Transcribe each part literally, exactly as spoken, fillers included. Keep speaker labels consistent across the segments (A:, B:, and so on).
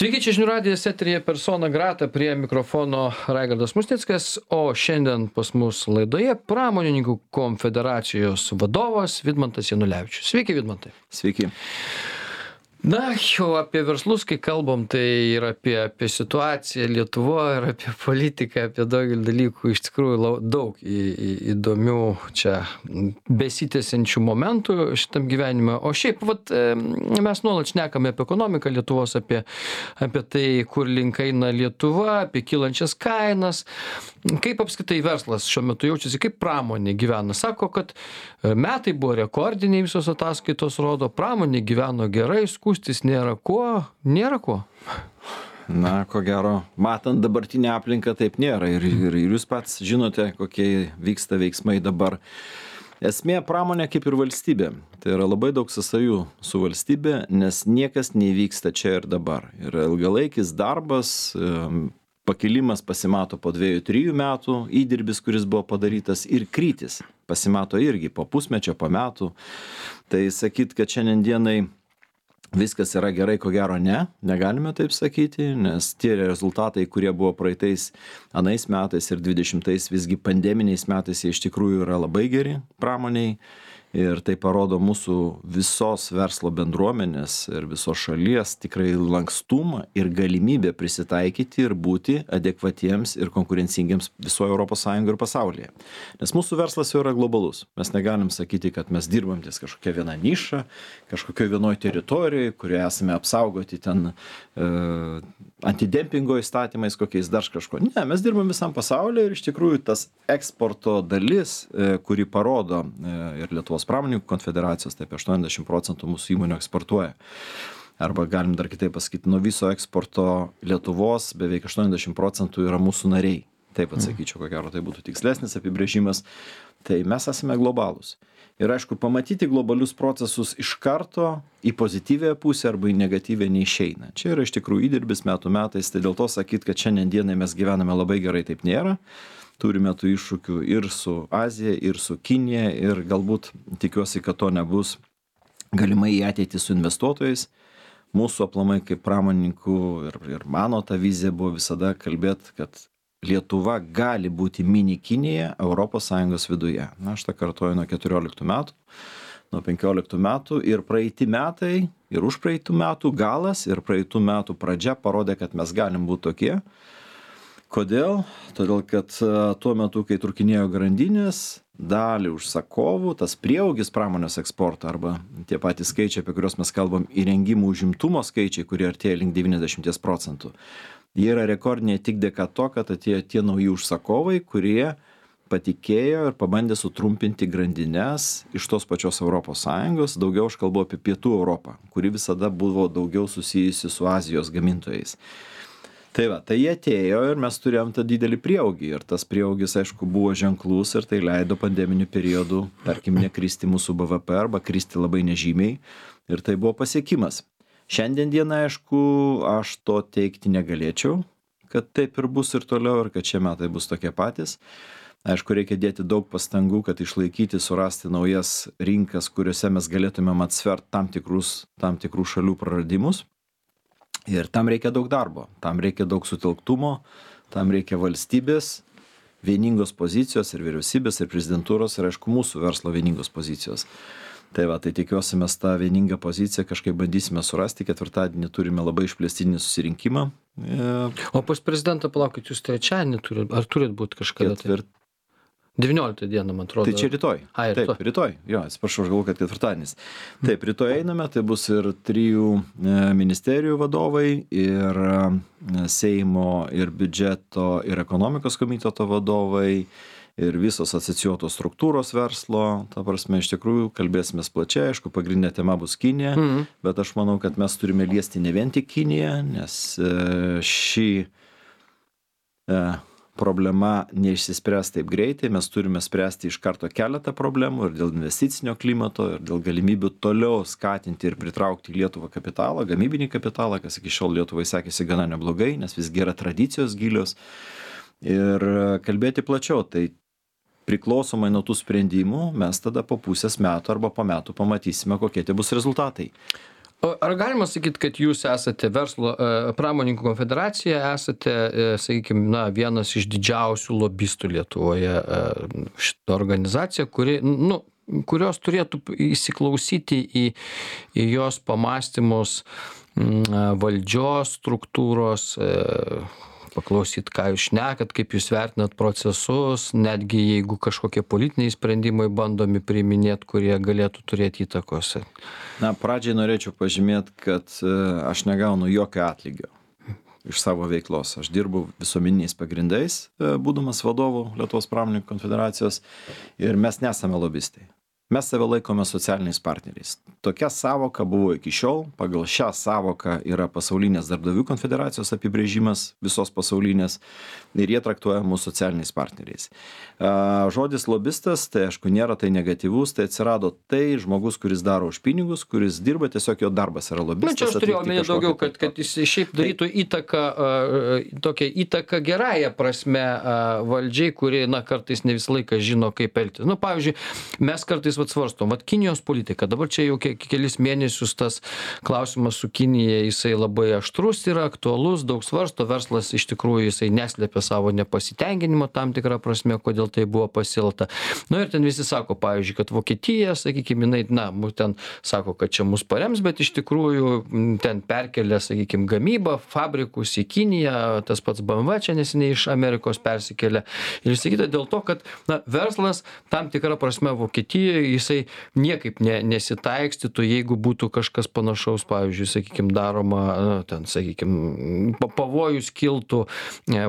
A: Sveiki, čia žinių radijas eteryje persona grata, prie mikrofono Raigardas Musnickas, o šiandien pas mus laidoje pramonininkų konfederacijos vadovas Vidmantas Janulevičius. Sveiki, Vidmantai.
B: Sveiki.
A: Na, jau apie verslus, kai kalbam, tai ir apie, apie situaciją Lietuvoje, ir apie politiką, apie daugelį dalykų, iš tikrųjų lau, daug į, į, įdomių čia besitęsiančių momentų šitam gyvenime. O šiaip, vat, mes nuolat šnekame apie ekonomiką Lietuvos, apie, apie tai, kur link eina Lietuva, apie kylančias kainas. Kaip apskritai verslas šiuo metu jaučiasi, kaip pramonė gyvena? Sako, kad metai buvo rekordiniai, visos ataskaitos rodo, pramonė gyveno gerai, skųstis nėra ko, nėra ko.
B: Na, ko gero, matant dabartinę aplinką, taip nėra. Ir, ir, ir jūs pats žinote, kokie vyksta veiksmai dabar. Esmė pramonė kaip ir valstybė. Tai yra labai daug sąsajų su valstybė, nes niekas nevyksta čia ir dabar. Yra ilgalaikis darbas, pakilimas pasimato po dviejų, trijų metų, įdirbis, kuris buvo padarytas, ir krytis pasimato irgi po pusmečio, po metų. Tai sakyt, kad šiandien dienai viskas yra gerai, ko gero ne, negalime taip sakyti, nes tie rezultatai, kurie buvo praeitais anais metais ir dvidešimtais, visgi pandeminiais metais, jie iš tikrųjų yra labai geri pramoniai. Ir tai parodo mūsų visos verslo bendruomenės ir visos šalies tikrai lankstumą ir galimybę prisitaikyti ir būti adekvatiems ir konkurencingiems visoje Europos Sąjungoje ir pasaulyje. Nes mūsų verslas jau yra globalus. Mes negalim sakyti, kad mes dirbam ties kažkokia viena niša, kažkokioje vienoje teritorijoje, kurioje esame apsaugoti ten e, antidempingo įstatymais, kokiais dar kažko. Ne, mes dirbam visam pasaulyje ir iš tikrųjų tas eksporto dalis, e, kuri parodo e, ir Lietuvos pramonininkų konfederacijos, taip aštuoniasdešimt procentų mūsų įmonių eksportuoja. Arba galim dar kitaip pasakyti, nuo viso eksporto Lietuvos beveik aštuoniasdešimt procentų yra mūsų nariai. Taip atsakyčiau, ko gero tai būtų tikslesnis apibrėžimas. Tai mes esame globalūs. Ir aišku, pamatyti globalius procesus iš karto į pozityvę pusę arba į negatyvę neišeina. Čia yra iš tikrųjų įdirbis metų metais, tai dėl to sakyti, kad šiandien dienai mes gyvename labai gerai, taip nėra. Turime tų iššūkių ir su Azija, ir su Kinija, ir galbūt tikiuosi, kad to nebus galimai į ateitį su investuotojais. Mūsų aplamai kaip pramonininkų ir, ir mano ta vizija buvo visada kalbėti, kad Lietuva gali būti mini Kinija Europos Sąjungos viduje. Na, aš tą kartuoju nuo keturioliktų metų, nuo penkioliktų metų, ir praeiti metai, ir už praeitų metų galas, ir praeitų metų pradžia parodė, kad mes galim būti tokie. Kodėl? Todėl, kad tuo metu, kai trūkinėjo grandinės, dalį užsakovų, tas prieaugis pramonės eksporto arba tie patys skaičiai, apie kuriuos mes kalbam, įrengimų užimtumo skaičiai, kurie artėja link devyniasdešimt procentų. Jie yra rekordiniai tik dėka to, kad atėjo tie nauji užsakovai, kurie patikėjo ir pabandė sutrumpinti grandines iš tos pačios Europos Sąjungos. Daugiau aš kalbu apie Pietų Europą, kuri visada buvo daugiau susijusi su Azijos gamintojais. Tai va, tai jie atėjo ir mes turėjom tą didelį prieaugį. Ir tas prieaugis, aišku, buvo ženklus ir tai leido pandeminiu periodu, tarkim, nekristi mūsų B V P arba kristi labai nežymiai. Ir tai buvo pasiekimas. Šiandien dieną, aišku, aš to teikti negalėčiau, kad taip ir bus ir toliau ir kad šie metai bus tokie patys. Aišku, reikia dėti daug pastangų, kad išlaikyti, surasti naujas rinkas, kuriuose mes galėtumėm atsvert tam tikrus, tam tikrų šalių praradimus. Ir tam reikia daug darbo, tam reikia daug sutelktumo, tam reikia valstybės, vieningos pozicijos ir vyriausybės ir prezidentūros ir, aišku, mūsų verslo vieningos pozicijos. Tai va, tai tikiuosi mes tą vieningą poziciją kažkaip bandysime surasti. Ketvirtadienį turime labai išplėstinį susirinkimą.
A: O pas prezidentą, palaukit, jūs trečiadienį turit, ar turit būti kažkada?
B: Ketvirt...
A: devynioliktą dieną, man atrodo.
B: Tai čia rytoj.
A: A, rytoj.
B: Taip, rytoj. Jo, atsiprašau, aš galvoju, kad ketvirtadienis. Taip, rytoj einame, tai bus ir trijų ministerijų vadovai, ir Seimo, ir biudžeto, ir ekonomikos komiteto vadovai, ir visos asocijuotos struktūros verslo. Ta prasme, iš tikrųjų, kalbėsime plačiai, aišku, pagrindinė tema bus Kinija, mm-hmm. bet aš manau, kad mes turime liesti ne vien tik Kiniją, nes ši problema neišsispręs taip greitai, mes turime spręsti iš karto keletą problemų ir dėl investicinio klimato, ir dėl galimybių toliau skatinti ir pritraukti į Lietuvą kapitalą, gamybinį kapitalą, kas iki šiol Lietuvai sekėsi gana neblogai, nes visgi yra tradicijos gilios. Ir kalbėti plačiau, tai priklausomai nuo tų sprendimų mes tada po pusės metų arba po metų pamatysime, kokie tai bus rezultatai.
A: O ar galima sakyt, kad jūs esate verslo e, pramonininkų konfederacija, esate, e, sakykime, na, vienas iš didžiausių lobistų Lietuvoje, e, šita organizacija, kuri, nu, kurios turėtų įsiklausyti į, į jos pamąstymus m, valdžios struktūros, e, paklausyt, ką jūs šnekat, kaip jūs vertinat procesus, netgi jeigu kažkokie politiniai sprendimai bandomi priiminėti, kurie galėtų turėti įtakos.
B: Na, pradžiai norėčiau pažymėti, kad aš negaunu jokio atlygio iš savo veiklos. Aš dirbu visuomeniniais pagrindais, būdamas vadovu Lietuvos pramonininkų konfederacijos, ir mes nesame lobistai. Mes save laikome socialiniais partneriais. Tokia savoka buvo iki šiol. Pagal šią savoką yra pasaulinės darbdavių konfederacijos apibrėžimas, visos pasaulinės, ir jie traktuoja mūsų socialiniais partneriais. Žodis lobistas, tai aišku, nėra tai negatyvus, tai atsirado tai žmogus, kuris daro už pinigus, kuris dirba, tiesiog jo darbas yra lobistas.
A: Na, čia aš turėjau omeny daugiau, kad, kad jis šiaip darytų įtaką, tokią įtaką gerąją prasme valdžiai, kuri, na, kartais ne visą laiką žino, kaip elgtis. Nu, pavyzdžiui, mes kartais vat svarstom, vat Kinijos politika, dabar čia jau ke kelis mėnesius tas klausimas su Kinija, jisai labai aštrus yra, aktualus, daug svarsto, verslas iš tikrųjų jisai neslėpia savo nepasitenkinimo tam tikrą prasme, kodėl tai buvo pasilta. Nu ir ten visi sako, pavyzdžiui, kad Vokietija, sakykime, jinai, na, ten sako, kad čia mus parems, bet iš tikrųjų ten perkelia, sakykime, gamybą, fabrikus į Kiniją, tas pats B M W čia neseniai iš Amerikos persikėlė. Ir sakyta dėl to, kad, na, verslas tam tikrą prasme Vokietijoje jisai niekaip ne, nesitaikstytų, jeigu būtų kažkas panašaus, pavyzdžiui, sakykime, daroma, na, ten, sakykime, pavojus kiltų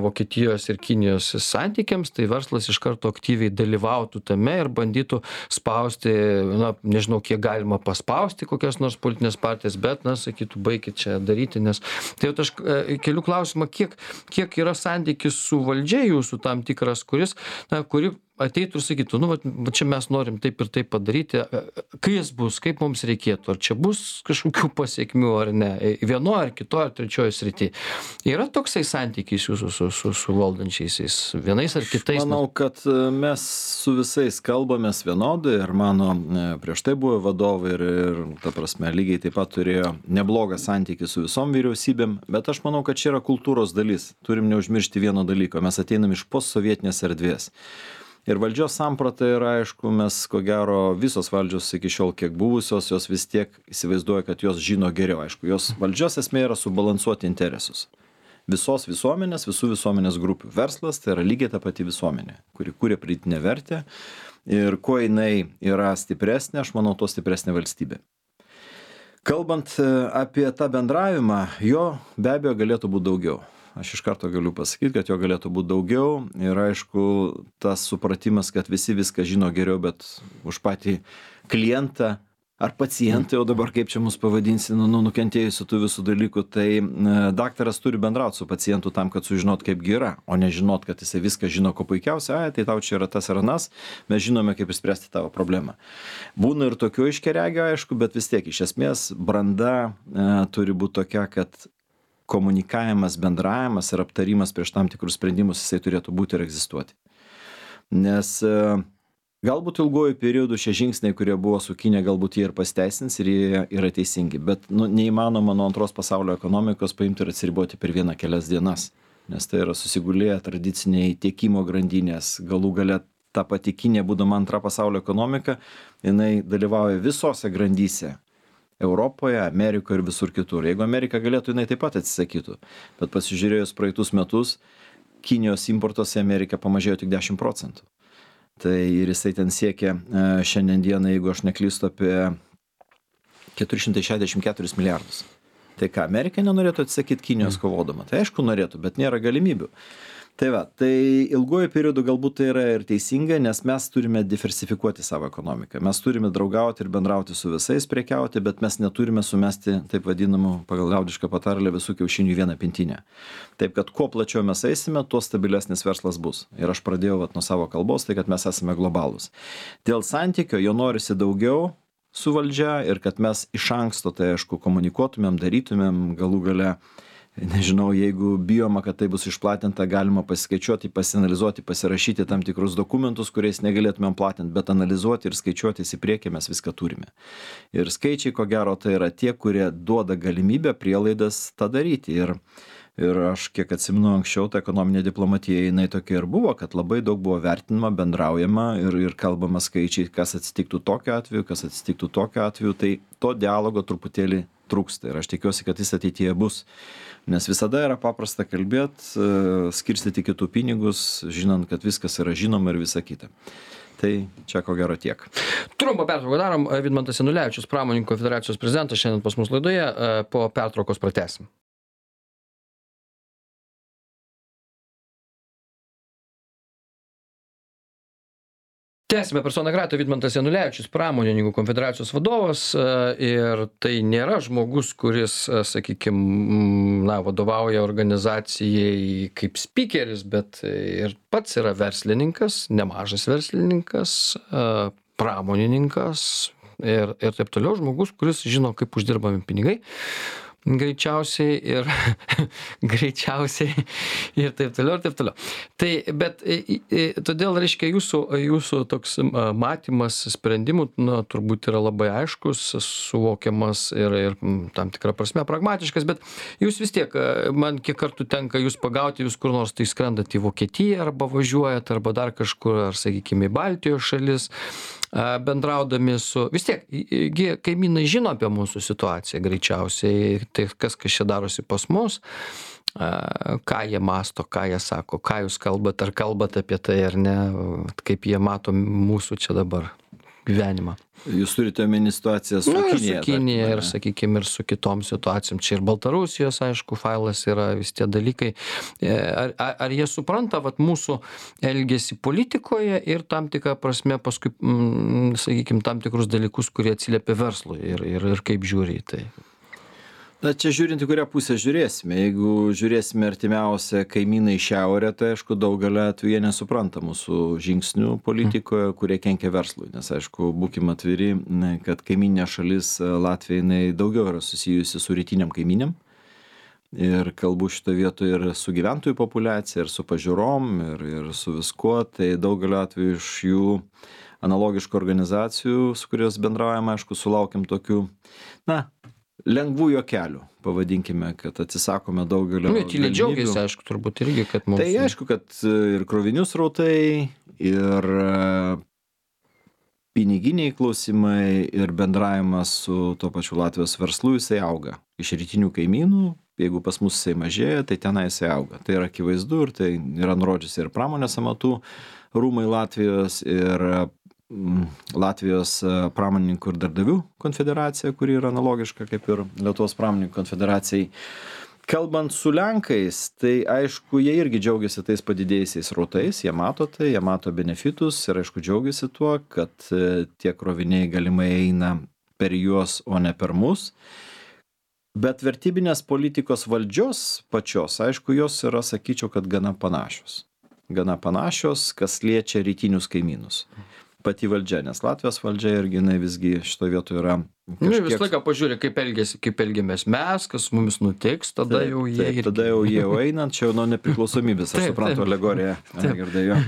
A: Vokietijos ir Kinijos santykiams, tai verslas iš karto aktyviai dalyvautų tame ir bandytų spausti, na, nežinau, kiek galima paspausti kokias nors politinės partijas, bet, na, sakytų, baikit čia daryti, nes tai jau aš keliu klausimą, kiek, kiek yra santykis su valdžia jūsų tam tikras, kuris, na, kuri ateitų ir sakytų, nu, va, čia mes norim taip ir taip padaryti, kai jis bus, kaip mums reikėtų, ar čia bus kažkokių pasiekmių ar ne, vienoje ar kitoje ar trečioje srityje. Yra toksai santykis jūsų su, su, su valdančiaisiais, vienais ar kitais?
B: Manau, kad mes su visais kalbamės vienodai ir mano prieš tai buvo vadovai ir, ir ta prasme, lygiai taip pat turėjo neblogą santykį su visom vyriausybėm, bet aš manau, kad čia yra kultūros dalis. Turim neužmiršti vieno dalyko, mes ateinam iš postsovietinės erdvės. Ir valdžios samprata yra, aišku, mes, ko gero, visos valdžios iki šiol kiek buvusios, jos vis tiek įsivaizduoja, kad jos žino geriau. Aišku, jos valdžios esmė yra subalansuoti interesus. Visos visuomenės, visų visuomenės grupių. Verslas tai yra lygiai ta pati visuomenė, kuri kūrė pridėtinę vertę. Ir kuo jinai yra stipresnė, aš manau, to stipresnė valstybė. Kalbant apie tą bendravimą, jo be abejo galėtų būti daugiau. Aš iš karto galiu pasakyti, kad jo galėtų būti daugiau ir aišku, tas supratimas, kad visi viską žino geriau, bet už patį klientą ar pacientą, jau dabar kaip čia mus pavadinsi, nu, nukentėjusių tų visų dalykų, tai daktaras turi bendrauti su pacientu tam, kad sužinot, kaip yra, o nežinot, kad jisai viską žino, ko puikiausia, ai, tai tau čia yra tas ar anas, mes žinome, kaip išspręsti tavo problemą. Būna ir tokių iškeregio, aišku, bet vis tiek iš esmės branda e, turi būti tokia, kad komunikavimas, bendravimas ir aptarimas prieš tam tikrus sprendimus jisai turėtų būti ir egzistuoti. Nes galbūt ilguoju periodu šie žingsniai, kurie buvo su Kinija, galbūt jie ir pasteisins ir jie yra teisingi, bet nu, neįmanoma nuo antros pasaulio ekonomikos paimti ir atsiriboti per vieną kelias dienas, nes tai yra susigulėję tradiciniai tiekimo grandinės, galų gale ta pati Kinija, būdama antra pasaulio ekonomika, jinai dalyvauja visose grandyse. Europoje, Amerikoje ir visur kitur. Jeigu Amerika galėtų, jinai taip pat atsisakytų. Bet pasižiūrėjus praeitus metus, Kinijos importos į Ameriką pamažėjo tik dešimt procentų. Tai ir jisai ten siekia šiandien dieną, jeigu aš neklystu, apie keturi šimtai šešiasdešimt keturis milijardus. Tai ką, Amerika nenorėtų atsisakyti Kinijos kovodama? Tai aišku norėtų, bet nėra galimybių. Tai va, tai ilguoju periodu galbūt tai yra ir teisinga, nes mes turime diversifikuoti savo ekonomiką. Mes turime draugauti ir bendrauti su visais, prekiauti, bet mes neturime sumesti, taip vadinamų, pagal liaudišką patarlę, visų kiaušinių į vieną pintinę. Taip, kad kuo plačiau mes eisime, tuo stabilesnis verslas bus. Ir aš pradėjau vat, nuo savo kalbos, tai kad mes esame globalūs. Dėl santykio jo norisi daugiau su valdžia ir kad mes iš anksto, tai aišku, komunikuotumėm, darytumėm galų gale nežinau, jeigu bijoma, kad tai bus išplatinta, galima pasiskaičiuoti, pasianalizuoti, pasirašyti tam tikrus dokumentus, kuriais negalėtumėm platinti, bet analizuoti ir skaičiuotis į priekį mes viską turime. Ir skaičiai, ko gero, tai yra tie, kurie duoda galimybę, prielaidas tą daryti. Ir, ir aš kiek atsimenu anksčiau, ta ekonominė diplomatija, jinai tokia ir buvo, kad labai daug buvo vertinama, bendraujama ir, ir kalbama skaičiai, kas atsitiktų tokiu atveju, kas atsitiktų tokiu atveju, tai to dialogo truputėlį trūksta ir aš tikiuosi, kad jis ateityje bus. Nes visada yra paprasta kalbėti, skirstyti kitų pinigus, žinant, kad viskas yra žinoma ir visa kita. Tai čia ko gero tiek.
A: Trumpą pertrauką darom. Vidmantas Janulevičius, Pramonininkų konfederacijos prezidentas, šiandien pas mus laidoje. Po pertraukos pratęsim. Tęsime persona grata, Vidmantas Janulevičius, Pramonininkų konfederacijos vadovas, ir tai nėra žmogus, kuris, sakykime, na, vadovauja organizacijai kaip spikeris, bet ir pats yra verslininkas, nemažas verslininkas, pramonininkas ir, ir taip toliau, žmogus, kuris žino, kaip uždirbami pinigai. Greičiausiai ir greičiausiai ir taip toliau, ir taip toliau. Tai, bet todėl, reiškia, jūsų, jūsų toks matymas sprendimų, na, turbūt yra labai aiškus, suvokiamas ir, ir tam tikrą prasme pragmatiškas, bet jūs vis tiek, man kiek kartų tenka jūs pagauti, jūs kur nors tai skrendat į Vokietiją arba važiuojat, arba dar kažkur, ar, sakykime, į Baltijos šalis, bendraudami su, vis tiek, kaimynai žino apie mūsų situaciją greičiausiai, tai kas, kas čia darosi pas mus, ką jie masto, ką jie sako, ką jūs kalbat, ar kalbat apie tai ar ne, kaip jie mato mūsų čia dabar gyvenimą.
B: Jūs turite omeny situaciją su
A: nu,
B: Kinija.
A: Su Kinija ir, sakykime, ir su kitom situacijom. Čia ir Baltarusijos, aišku, failas yra vis tie dalykai. Ar, ar, ar jie supranta vat, mūsų elgesį politikoje ir tam tikrą prasme paskui, mm, sakykime, tam tikrus dalykus, kurie atsiliepia verslui ir, ir, ir kaip žiūri į tai?
B: Na, čia žiūrint, į kurią pusę žiūrėsime. Jeigu žiūrėsime artimiausią kaimyną į šiaurę, tai aišku, daugelio atveju jie nesupranta mūsų žingsnių politikoje, kurie kenkia verslui. Nes, aišku, būkime atviri, kad kaiminė šalis Latvija, jinai daugiau yra susijusi su rytiniam kaimynėm. Ir kalbu šito vietoje ir su gyventojų populiacija, ir su pažiūrom, ir, ir su viskuo. Tai daugelio atveju iš jų analogiškų organizacijų, su kurios bendraujame, aišku, sulaukiam tokių, na, lengvų juokelių, pavadinkime, kad atsisakome daugelio
A: galimybių. Tyliai džiaugiasi, aišku, turbūt irgi, kad mums...
B: Tai aišku, kad ir krovinių srautai, ir piniginiai klausimai, ir bendravimas su to pačiu Latvijos verslu, jisai auga. Iš rytinių kaimynų, jeigu pas mus jisai mažėja, tai tenai jisai auga. Tai yra akivaizdu ir tai yra nurodžiusi ir pramonės amatų rūmai Latvijos, ir Latvijos pramonininkų ir darbdavių konfederacija, kuri yra analogiška kaip ir Lietuvos pramonininkų konfederacijai. Kalbant su Lenkais, tai aišku, jie irgi džiaugiasi tais padidėjusiais srautais, jie mato tai, jie mato benefitus ir aišku džiaugiasi tuo, kad tie kroviniai galimai eina per juos, o ne per mus. Bet vertybinės politikos valdžios pačios, aišku, jos yra, sakyčiau, kad gana panašios. Gana panašios, kas liečia rytinius kaimynus. Pati valdžia, nes Latvijos valdžia irgi jinai visgi šito vietoje yra kažkiek...
A: Nu, vis laiką pažiūrė, kaip elgiasi, kaip elgiamės mes, kas mumis nutiks, tada taip, jau jie...
B: Taip, irgi... tada jau jie einant, čia jau nuo nepriklausomybės, aš suprantu alegoriją, girdėjau.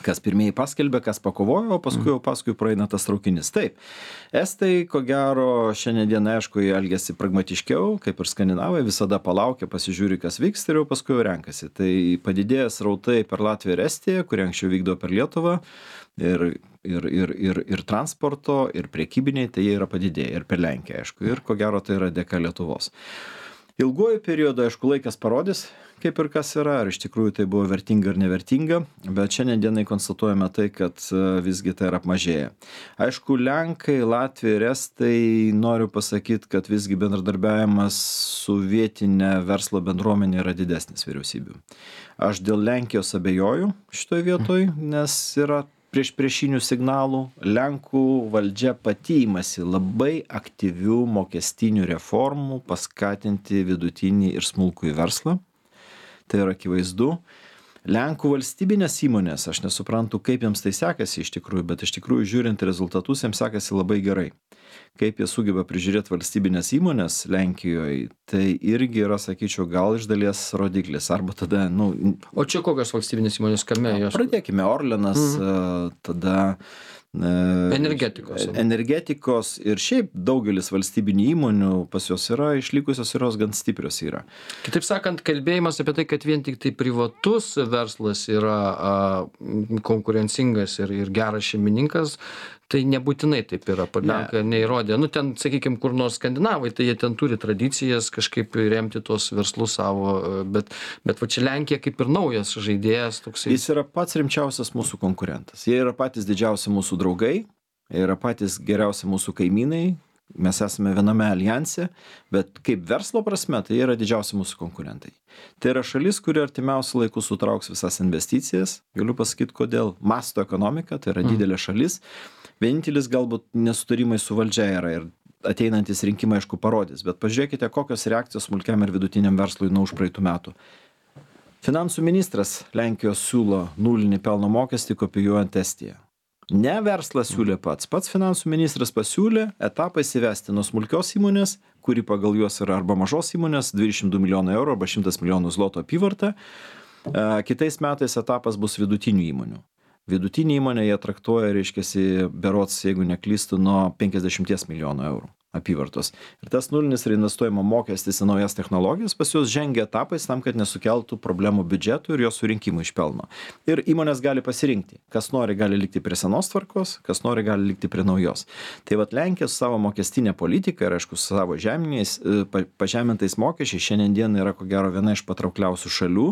B: Kas pirmieji paskelbė, kas pakovojo, o paskui jau paskui praeina tas traukinys. Taip, estai, ko gero, šiandien dieną, aišku, jie elgiasi pragmatiškiau, kaip ir skandinavai, visada palaukia, pasižiūri, kas vyks ir jau paskui jau renkasi. Tai padidėjęs srautai per Latviją ir Estiją, kurie anksčiau vykdo per Lietuvą, ir, ir, ir, ir, ir transporto, ir priekybiniai, tai jie yra padidėję, ir per Lenkiją, aišku, ir ko gero tai yra dėka Lietuvos. Ilguoju periodu, aišku, laikas parodys, kaip ir kas yra, ar iš tikrųjų tai buvo vertinga ar nevertinga, bet šiandien dienai konstatuojame tai, kad visgi tai yra apmažėję. Aišku, Lenkai, Latvija ir Estai, noriu pasakyti, kad visgi bendradarbiavimas su vietinė verslo bendruomenė yra didesnis vyriausybių. Aš dėl Lenkijos abejoju šitoje vietoje, nes yra prieš priešinių signalų. Lenkų valdžia pati imasi labai aktyvių mokestinių reformų paskatinti vidutinį ir smulkųjį verslą. Tai yra akivaizdu. Lenkų valstybinės įmonės, aš nesuprantu, kaip jiems tai sekasi iš tikrųjų, bet iš tikrųjų žiūrint rezultatus, jiems sekasi labai gerai. Kaip jie sugeba prižiūrėti valstybinės įmonės Lenkijoje, tai irgi yra, sakyčiau, gal iš dalies rodiklis. Arba tada, nu...
A: O čia kokios valstybinės įmonės, kame jos?
B: Pradėkime, Orlenas, mhm. tada...
A: Energetikos.
B: Energetikos ir šiaip daugelis valstybinių įmonių pas jos yra išlikusios ir jos gan stiprios yra.
A: Kitaip sakant, kalbėjimas apie tai, kad vien tik tai privatus verslas yra a, konkurencingas ir, ir geras šeimininkas, tai nebūtinai taip yra. Lenkai ne. neįrodė. Nu, ten, sakykime, kur nors skandinavai, tai jie ten turi tradicijas kažkaip remti tos verslus savo, bet, bet va čia Lenkija kaip ir naujas žaidėjas. Toksai.
B: Jis yra pats rimčiausias mūsų konkurentas. Jie yra patys didžiausi mūsų draugai, jie yra patys geriausi mūsų kaimynai, mes esame viename alijanse, bet kaip verslo prasme, tai yra didžiausi mūsų konkurentai. Tai yra šalis, kuri artimiausiu laiku sutrauks visas investicijas. Galiu pasakyti, kodėl. Masto ekonomika, tai yra didelė šalis. Vienintelis galbūt nesutarimai su valdžia yra ir ateinantis rinkimai aišku parodys, bet pažiūrėkite, kokios reakcijos smulkiam ir vidutiniam verslui nuo užpraeitų metų. Finansų ministras Lenkijos siūlo nulinį pelno mokestį kopijuojant Estiją. Ne verslas siūlė pats. Pats finansų ministras pasiūlė etapais įvesti nuo smulkios įmonės, kuri pagal juos yra arba mažos įmonės, dvidešimt du milijonų eurų arba šimtas milijonų zloto apyvarta. Kitais metais etapas bus vidutinių įmonių. Vidutinį įmonę jie traktuoja, reiškiasi, berods, jeigu neklystu, nuo penkiasdešimt milijonų eurų apyvartos. Ir tas nulinis reinvestuojimo mokestis į naujas technologijas pas juos žengia etapais tam, kad nesukeltų problemų biudžetų ir jo surinkimų iš pelno. Ir įmonės gali pasirinkti. Kas nori, gali likti prie senos tvarkos, kas nori, gali likti prie naujos. Tai vat Lenkija su savo mokestinė politika ir, aišku, su savo žeminiais, pažemintais mokesčiais šiandien dieną yra, ko gero, viena iš patraukliausių šalių.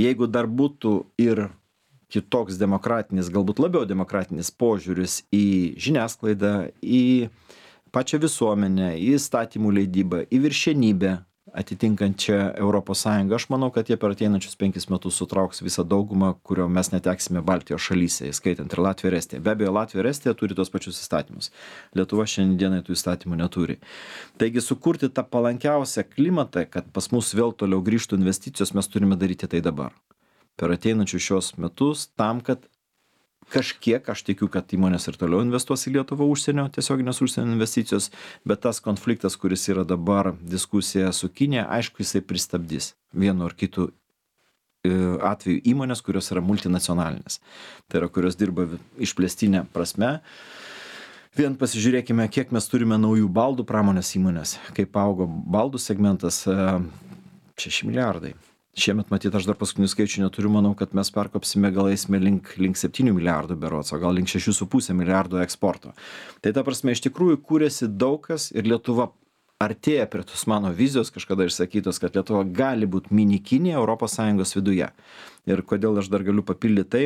B: Jeigu dar būtų ir kitoks demokratinis, galbūt labiau demokratinis požiūris į žiniasklaidą, į pačią visuomenę, į įstatymų leidybą, į viršenybę atitinkančią Europos Sąjungą, aš manau, kad jie per ateinančius penkis metus sutrauks visą daugumą, kurio mes neteksime Baltijos šalyse, įskaitant ir Latviją ir Estiją. Be abejo, Latvija ir Estija turi tos pačius įstatymus. Lietuva šiandienai tų įstatymų neturi. Taigi sukurti tą palankiausią klimatą, kad pas mus vėl toliau grįžtų investicijos, mes turime daryti tai dabar. Per ateinančius šios metus, tam, kad kažkiek, aš tikiu, kad įmonės ir toliau investuos į Lietuvą užsienio, tiesioginės užsienio investicijos, bet tas konfliktas, kuris yra dabar diskusija su Kinija, aišku, jisai pristabdys vienu ar kitu atveju įmonės, kurios yra multinacionalinės. Tai yra, kurios dirba išplėstinė prasme. Vien pasižiūrėkime, kiek mes turime naujų baldų pramonės įmonės, kaip augo baldų segmentas, šeši milijardai. Šiemet, matyt, aš dar paskutinių skaičių neturiu, manau, kad mes perkopsime, gal eisime link, link septynių milijardų berods, o gal link šešių su pusė milijardų eksporto. Tai ta prasme, iš tikrųjų kūrėsi daug kas ir Lietuva artėja prie tos mano vizijos, kažkada išsakytos, kad Lietuva gali būti mini Kinija Europos Sąjungos viduje. Ir kodėl aš dar galiu papildyti tai,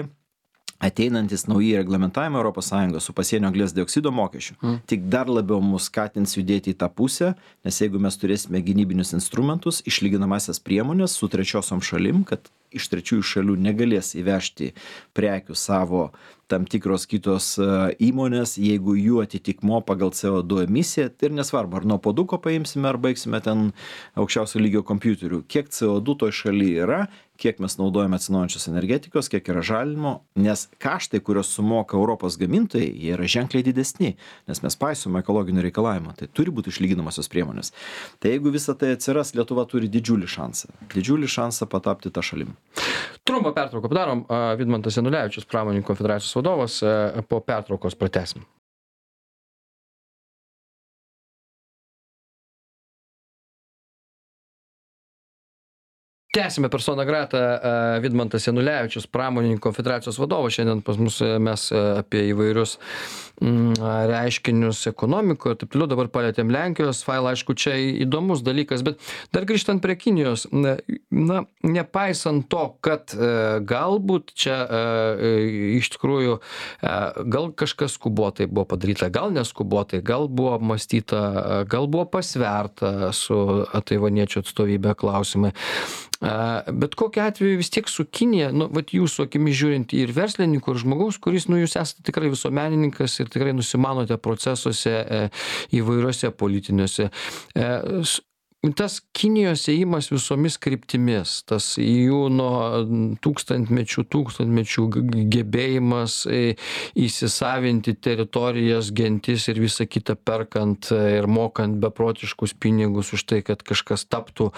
B: ateinantis nauji reglamentavimai Europos Sąjungos su pasienio anglies dioksido mokesčiu, mm. tik dar labiau mus skatins judėti į tą pusę, nes jeigu mes turėsime gynybinius instrumentus, išlyginamasias priemonės su trečiosiom šalim, kad iš trečiųjų šalių negalės įvežti prekių savo tam tikros kitos įmonės, jeigu jų atitikmo pagal C O du emisiją, tai ir nesvarbu, ar nuo puoduko paimsime, ar baigsime ten aukščiausio lygio kompiuterių, kiek C O du toj šalyje yra, kiek mes naudojame atsinaujinančios energetikos, kiek yra žalinimo, nes kaštai, kurios sumoka Europos gamintojai, jie yra ženkliai didesni, nes mes paisome ekologinių reikalavimų, tai turi būti išlyginamosios priemonės. Tai jeigu visa tai atsiras, Lietuva turi didžiulį šansą, didžiulį šansą patapti tą šalim.
A: Trumpą pertrauką padarom. Vidmantas Janulevičius, Pramonininkų konfederacijos vadovas, po pertraukos pratęsim. Tęsime persona grata, Vidmantas Janulevičius, Pramonininkų konfederacijos vadovas. Šiandien pas mus mes apie įvairius reiškinius ekonomikoje ir taip toliau. Dabar palietėm Lenkijos failą, aišku, čia įdomus dalykas, bet dar grįžtant prie Kinijos, na, nepaisant to, kad galbūt čia iš tikrųjų gal kažkas skubotai buvo padaryta, gal neskubotai, gal buvo apmąstyta, gal buvo pasverta su taivaniečių atstovybė klausimai. Bet kokiu atveju vis tiek su Kinija, nu, vat jūsų akimis žiūrint ir verslininkų, ir žmogaus, kuris, nu, jūs esate tikrai visuomenininkas ir tikrai nusimanote procesuose įvairiuose politiniuose. tas Kinijos ėjimas visomis kryptimis, tas jų nuo tūkstantmečių, tūkstantmečių gebėjimas įsisavinti teritorijas, gentis ir visą kitą perkant ir mokant beprotiškus pinigus už tai, kad kažkas taptų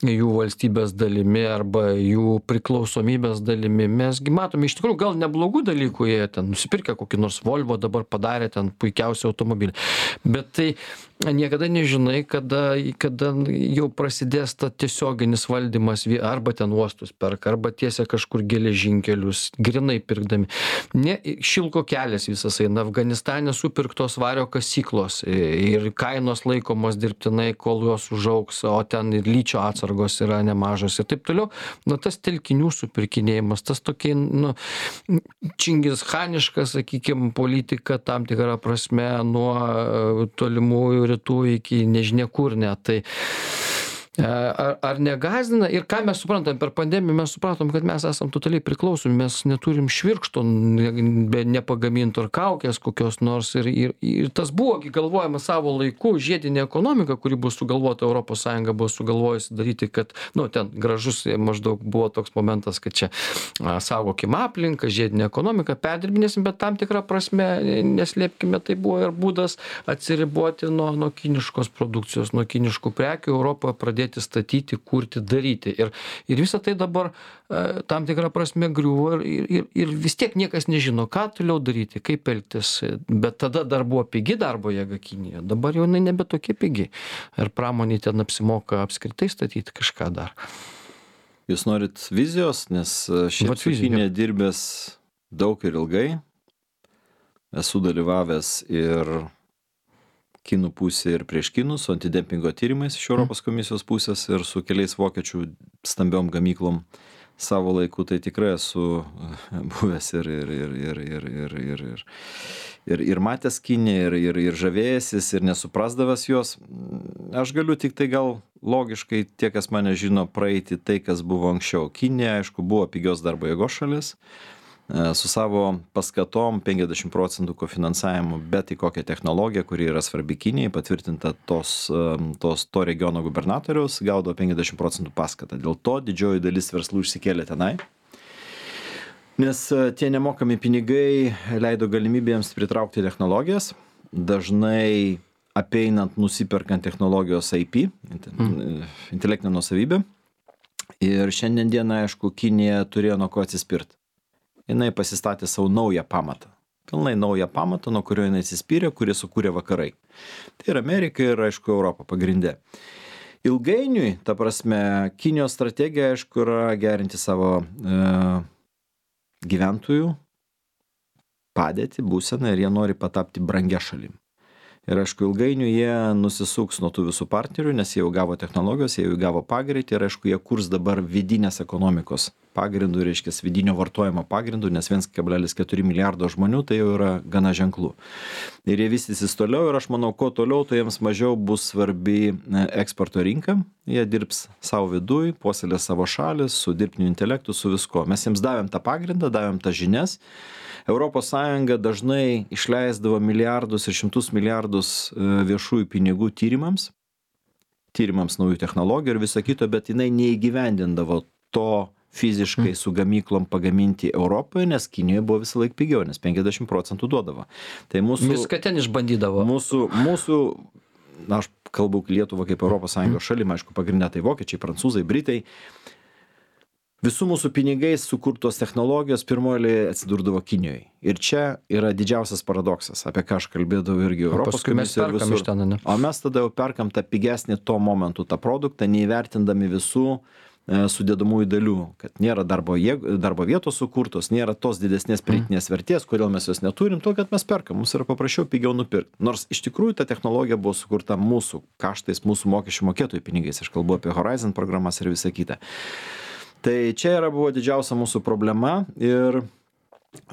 A: jų valstybės dalimi arba jų priklausomybės dalimi. Mesgi matome, iš tikrųjų, gal neblogų dalykų, jie ten nusipirkę kokį nors Volvo, dabar padarė ten puikiausią automobilį. Bet tai niekada nežinai, kada, kada jau prasidės ta tiesioginis valdymas, arba ten uostus perka, arba tiesia kažkur geležinkelius, grinai pirkdami. Ne, šilko kelias visas eina, Afganistane supirktos vario kasyklos ir kainos laikomos dirbtinai, kol jos užaugs, o ten ir lyčio atsargos yra nemažos ir taip toliau. Nu, tas telkinių supirkinėjimas, tas tokia, nu, čingischaniška, sakykime, politika tam tikrą prasme nuo tolimųjų rytų iki nežinia kur net. Tai Ar, ar negąsdina ir ką mes suprantam per pandemiją, mes supratom, kad mes esam totaliai priklausomi, mes neturim švirkšto, be nepagaminto ar kaukės kokios nors ir, ir, ir tas buvo galvojama savo laiku, žiedinė ekonomika, kuri buvo sugalvota, Europos Sąjunga buvo sugalvojusi daryti, kad, nu, ten gražus maždaug buvo toks momentas, kad čia a, saugokim aplinką, žiedinė ekonomika, perdirbinėsim, bet tam tikrą prasme, neslėpkime, tai buvo ir būdas atsiriboti nuo, nuo kiniškos produkcijos, nuo kiniškų prekių, Europoje pradėti statyti, kurti, daryti. Ir, ir visą tai dabar e, tam tikrą prasme griuvo ir, ir, ir vis tiek niekas nežino, ką toliau daryti, kaip elgtis. Bet tada dar buvo pigi darbo jėga Kinija. Dabar jau jinai nebe tokia pigi. Ir pramonė ten apsimoka apskritai statyti kažką dar.
B: Jūs norit vizijos, nes šiaip su Kinija dirbęs daug ir ilgai. Esu dalyvavęs ir kinų pusė ir prieš kinus, su antidempingo tyrimais iš Europos komisijos pusės ir su keliais vokiečių stambiom gamyklom savo laiku, tai tikrai esu buvęs ir, ir, ir, ir, ir, ir, ir, ir, ir, ir matęs Kiniją, ir, ir, ir žavėjęsis, ir nesuprasdavęs jos. Aš galiu tik tai gal logiškai, tie, kas mane žino, praeiti tai, kas buvo anksčiau. Kinija, aišku, buvo pigios darbo jėgos šalis, su savo paskatom penkiasdešimt procentų kofinansavimu, bet į kokią technologiją, kuri yra svarbi Kinijai, patvirtinta tos, tos, to regiono gubernatoriaus, gaudo penkiasdešimt procentų paskatą. Dėl to didžioji dalis verslų išsikėlė tenai, nes tie nemokami pinigai leido galimybėms pritraukti technologijas, dažnai apeinant, nusiperkant technologijos I P, intelektinę nuosavybę. Ir šiandien dieną, aišku, Kinija turėjo nuo ko atsispirti. Jinai pasistatė savo naują pamatą. Pilnai naują pamatą, nuo kurio jinai atsispyrė, kurį sukūrė vakarai. Tai yra Amerika ir, aišku, Europa pagrinde. Ilgainiui, ta prasme, Kinijos strategija, aišku, yra gerinti savo e, gyventojų padėtį, būseną ir jie nori patapti brangia šalim. Ir aišku, ilgainiui jie nusisuks nuo tų visų partnerių, nes jie jau gavo technologijos, jie jau gavo pagreitį ir aišku, jie kurs dabar vidinės ekonomikos pagrindų, reiškia vidinio vartojimo pagrindų, nes vienas kablelis keturi milijardo žmonių tai jau yra gana ženklų. Ir jie vystysis toliau ir aš manau, kuo toliau, tai jiems mažiau bus svarbi eksporto rinka. Jie dirbs savo viduj, puoselės savo šalis, su dirbtiniu intelektu, su visko. Mes jiems davėm tą pagrindą, davėm tą žinias. Europos Sąjunga dažnai išleisdavo milijardus ir šimtus milijardus viešųjų pinigų tyrimams, tyrimams naujų technologijų ir viso kito, bet jinai neįgyvendindavo to fiziškai su gamyklom pagaminti Europoje, nes Kinijoje buvo visą laiką pigiau, nes penkiasdešimt procentų duodavo. Tai mūsų,
A: viską ten išbandydavo.
B: Mūsų, mūsų, na, aš kalbu Lietuvą kaip Europos Sąjungos šalim, aišku, pagrindė tai vokiečiai, prancūzai, britai. Visų mūsų pinigais sukurtos technologijos pirmoji atsidurdavo Kinijoje. Ir čia yra didžiausias paradoksas, apie ką aš kalbėdavau irgi Europos komisijoje ir visur.
A: Ten,
B: o mes tada jau perkam tą pigesnį tuo momentu tą produktą, neįvertindami visų e, sudėdamųjų dalių, kad nėra darbo, jėg, darbo vietos sukurtos, nėra tos didesnės pridėtinės vertės, kodėl mes jos neturim, to, kad mes perkam, mums yra paprasčiau pigiau nupirkti. Nors iš tikrųjų ta technologija buvo sukurta mūsų kaštais, mūsų mokesčių mokėtojų pinigais. Aš kalbu apie Horizon programas ir visą kitą. Tai čia yra buvo didžiausia mūsų problema ir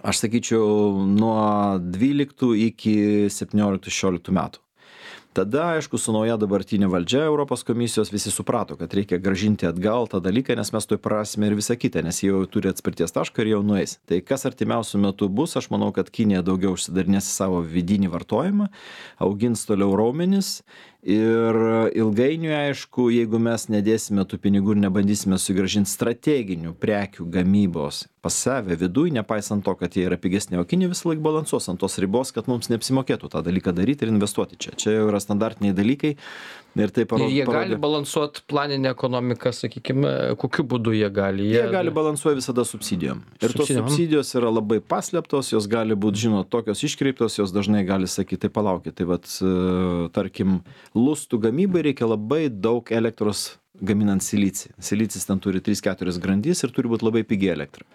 B: aš sakyčiau nuo dvyliktų iki septynioliktų šešioliktų metų. Tada, aišku, su nauja dabartinė valdžia Europos komisijos visi suprato, kad reikia grąžinti atgal tą dalyką, nes mes to prarasime ir visą kitą, nes jie jau turi atspirties tašką ir jau nueis. Tai kas artimiausių metų bus, aš manau, kad Kinija daugiau užsidarinės į savo vidinį vartojimą, augins toliau raumenis Ir ilgainiui, aišku, jeigu mes nedėsime tų pinigų ir nebandysime sugrąžinti strateginių prekių gamybos pas save viduj, nepaisant to, kad jie yra pigesni, o Kinija visą laiką balansuos ant tos ribos, kad mums neapsimokėtų tą dalyką daryti ir investuoti čia. Čia jau yra standartiniai dalykai. Ir, tai parodo,
A: ir jie
B: parodė,
A: gali balansuoti planinę ekonomiką, sakykime, kokiu būdu jie gali?
B: Jie, jie gali balansuoti visada subsidijom. Ir subsidijom. Tos subsidijos yra labai paslėptos, jos gali būti, žinot, tokios iškreiptos, jos dažnai gali sakyti, tai palaukit, tai vat, tarkim, lustų gamybai reikia labai daug elektros gaminant silicį. Silicis ten turi tris keturias grandis ir turi būti labai pigi elektra.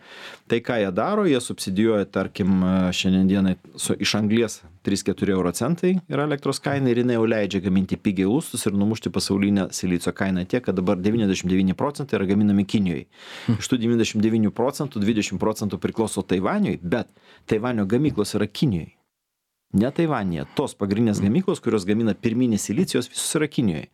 B: Tai ką jie daro, jie subsidijuoja, tarkim, šiandien dienai su, iš anglies trys keturi euro centai yra elektros kaina ir jinai jau leidžia gaminti pigiai lustus ir numušti pasaulinę silicio kainą tiek, kad dabar devyniasdešimt devyni procentai yra gaminami Kinijoje. Iš tų devyniasdešimt devynių procentų dvidešimt procentų priklauso Taivaniui, bet Taivanio gamyklos yra Kinijoje. Ne Taivanėje. Tos pagrindinės gamyklos, kurios gamina pirminį silicijos, visus yra Kinijoje.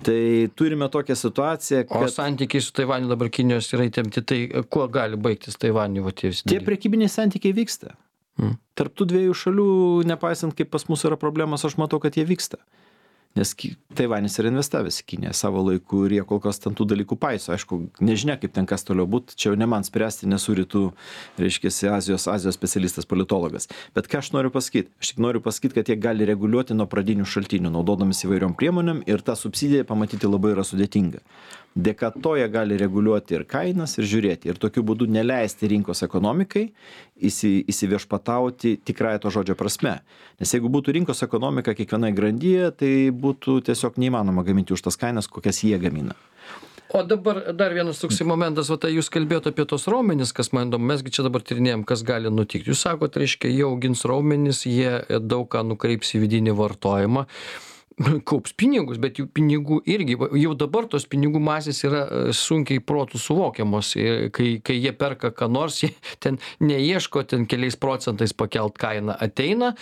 B: Tai turime tokią situaciją, kad...
A: O santykiai su Taivaniu dabar Kinijos yra įtempti, tai kuo gali baigtis Taivaniu? Va, tie
B: tie prekybiniai santykiai vyksta. Hmm. Tarp tų dviejų šalių, nepaisant kaip pas mus yra problemas, aš matau, kad jie vyksta. Nes Taivanis yra investavęs į Kiniją savo laiku ir jie kol kas ten tų dalykų paiso. Aišku, nežinia, kaip ten kas toliau būt, čia jau ne man spręsti, nesu rytų, reiškiasi, Azijos, Azijos specialistas, politologas. Bet ką aš noriu pasakyti? Aš tik noriu pasakyti, kad jie gali reguliuoti nuo pradinių šaltinių, naudodamis įvairiom priemonėm ir tą subsidiją pamatyti labai yra sudėtinga. Dėka to jie gali reguliuoti ir kainas, ir žiūrėti. Ir tokiu būdu neleisti rinkos ekonomikai įsi, įsiviešpatauti tikrąją to žodžio prasme. Nes jeigu būtų rinkos ekonomika kiekvienai grandyje, tai būtų tiesiog neįmanoma gaminti už tas kainas, kokias jie gamina.
A: O dabar dar vienas toksai momentas, va, tai jūs kalbėjote apie tos raumenis, kas man įdomu, mesgi čia dabar tyrinėjom, kas gali nutikti. Jūs sakote, reiškia, jie augins raumenis, jie daug ką nukreips į vidinį vartojimą. Kaups pinigus, bet jų pinigų irgi, jau dabar tos pinigų masės yra sunkiai protų suvokiamos, kai, kai jie perka ką nors, jie ten neieško ten keliais procentais pakelt kainą, ateina,